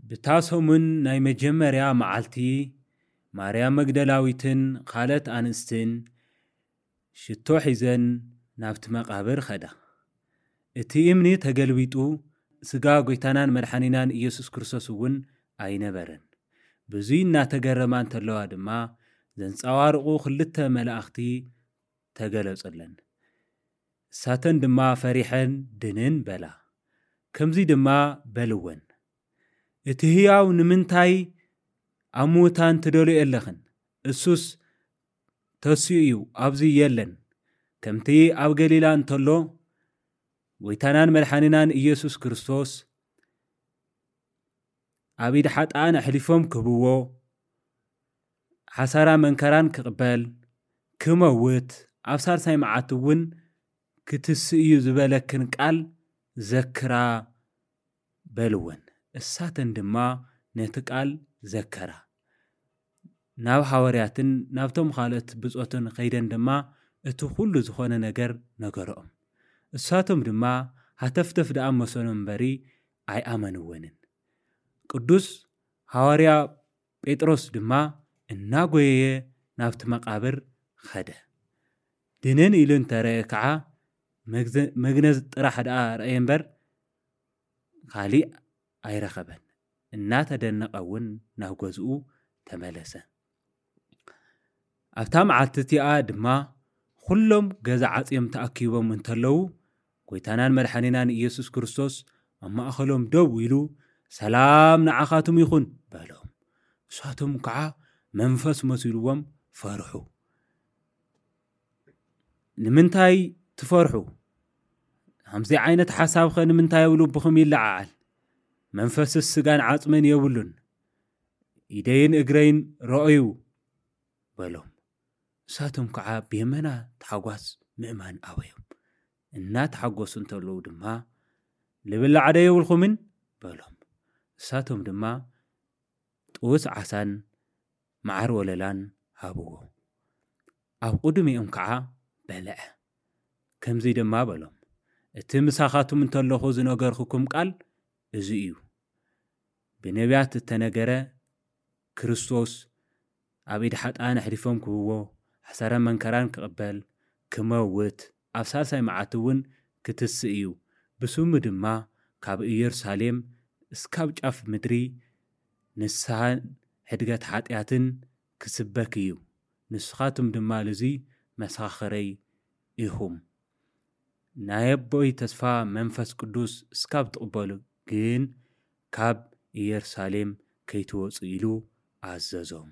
ብታ ሰሙን ናይ መጀመርያ መዓልቲ ማርያም መግደላዊትን ካልኦት ኣንስትን ሽቶ ሒዘን ናብቲ መቓብር ኸዳ። እቲ እምኒ ተገልቢጡ፣ ስጋ ጐይታናን መድሓኒናን ኢየሱስ ክርስቶስ እውን ኣይነበረን። ብዙይ እናተገረማ እንተለዋ ድማ፣ ዘንጸባርቑ ክልተ መላእኽቲ ተገለጹለን። እሳተን ድማ ፈሪሐን ድንን በላ። ከምዚ ድማ በልወን፣ "እቲ ህያው ንምንታይ ኣብ ምዉታን ትደልዮ ኣለኽን? እሱስ ተሲኡ እዩ፣ ኣብዚ የለን። ከምቲ ኣብ ገሊላ እንተሎ ጐይታናን መድሓኒናን ኢየሱስ ክርስቶስ ኣብ ኢድ ሓጥኣን ኣሕሊፎም ክህብዎ፣ ሓሳራ መንከራን ክቕበል፣ ክመውት፣ ኣብ ሳልሳይ መዓልቲ እውን ክትስእ እዩ ዝበለክን ቃል ዘክራ" በልወን። እሳተን ድማ ነቲ ቃል ዘከራ። ናብ ሃዋርያትን ናብቶም ካልኦት ብጾትን ከይደን ድማ እቲ ኩሉ ዝኾነ ነገር ነገረኦም። እሳቶም ድማ ሃተፍተፍ ደኣ መሰሎም እምበሪ ኣይኣመንወንን። ቅዱስ ሃዋርያ ጴጥሮስ ድማ እናጎየየ ናብቲ መቓብር ኸደ። ድንን ኢሉ እንተረአ ከዓ መግዘ-፣ መግነዝ ጥራሕ ደኣ ረኣየ እምበር ካሊእ ኣይረኸበን። እናተደነቐ እውን ናብ ገዝኡ ተመለሰ። ኣብታ መዓልቲ እቲኣ ድማ ኩሎም ገዛ ዓጽዮም ተኣኪቦም እንተለዉ፣ ጐይታናን መድሓኒናን ኢየሱስ ክርስቶስ ኣብ ማእከሎም ደው ኢሉ፣ "ሰላም ንዓኻትም ይኹን" በሎም። ንሳቶም ከዓ መንፈስ መሲልዎም ፈርሑ። "ንምንታይ ትፈርሑ? ከምዚ ዓይነት ሓሳብኸ ንምንታይ ኣብ ልብኹም ይለዓዓል? መንፈስስ ስጋን ዓጽምን የብሉን። ኢደይን እግረይን ረኣዩ" በሎም። ንሳቶም ከዓ ብየመና ታሕጓስ ምእማን ኣበዮም። እናተሓጎሱ እንተለዉ ድማ፣ "ልብላዕ ዶ የብልኩምን?" በሎም። ንሳቶም ድማ ጥውስ ዓሳን መዓር ወለላን ሃብዎ። ኣብ ቅድሚኦም ከዓ በልዐ። ከምዚ ድማ በሎም፣ "እቲ ምሳኻትም እንተለኹ ዝነገርኩኩም ቃል እዚ እዩ። ብነቢያት እተነገረ፣ ክርስቶስ ኣብ ኢድ ሓጥኣን ኣሕሊፎም ክህብዎ፣ ሓሳረ መንከራን ክቕበል፣ ክመውት፣ ኣብ ሳልሳይ መዓልቲ እውን ክትስእ እዩ። ብስሙ ድማ ካብ ኢየሩሳሌም እስካብ ጫፍ ምድሪ ንስሓን ሕድገት ሓጢኣትን ክስበክ እዩ። ንስኻትም ድማ ልዙይ መሰኻኽረይ ኢኹም። ናይ ኣቦይ ተስፋ መንፈስ ቅዱስ እስካብ ትቕበሉ ግን ካብ ኢየሩሳሌም ከይትወጹ" ኢሉ ኣዘዞም።